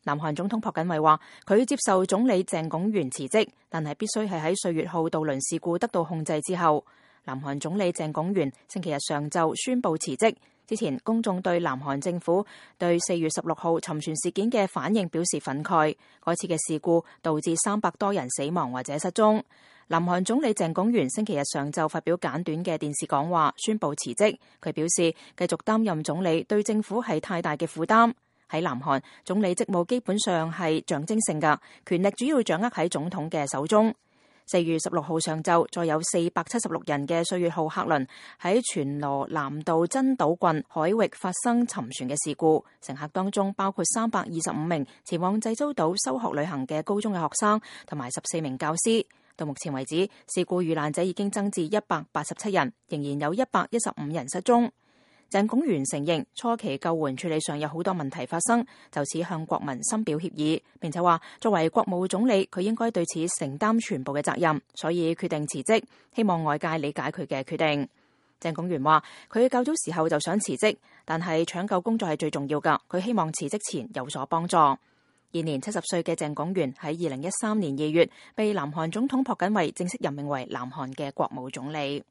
南韓總統朴槿惠話，佢接受總理鄭拱元辭職，但係必須係喺歲月號渡輪事故得到控制之後。南韓總理鄭拱元星期日上晝宣布辭職。之前公眾對南韓政府對4月16號沉船事件嘅反應表示憤慨，嗰次嘅事故導致300多人死亡或者失蹤。南韓總理鄭拱元星期日上晝發表簡短嘅電視講話，宣布辭職。佢表示繼續擔任總理對政府係太大嘅負擔。喺南韓，總理職務基本上係象徵性嘅，權力主要掌握喺總統嘅手中。4月16號上晝，再有476人嘅歲月號客輪喺全羅南道真島郡海域發生沉船嘅事故，乘客當中包括325名前往濟州島修學旅行嘅高中嘅學生同埋14名教師。到目前為止，事故遇難者已經增至187人，仍然有115人失蹤。鄭拱元承認初期救援處理上有好多問題發生，就此向國民深表歉意，並且話作為國務總理，佢應該對此承擔全部嘅責任，所以決定辭職，希望外界理解佢嘅決定。鄭拱元話佢較早時候就想辭職，但係搶救工作係最重要㗎，佢希望辭職前有所幫助。現年70歲嘅鄭拱元喺2013年2月被南韓總統朴槿惠正式任命為南韓嘅國務總理。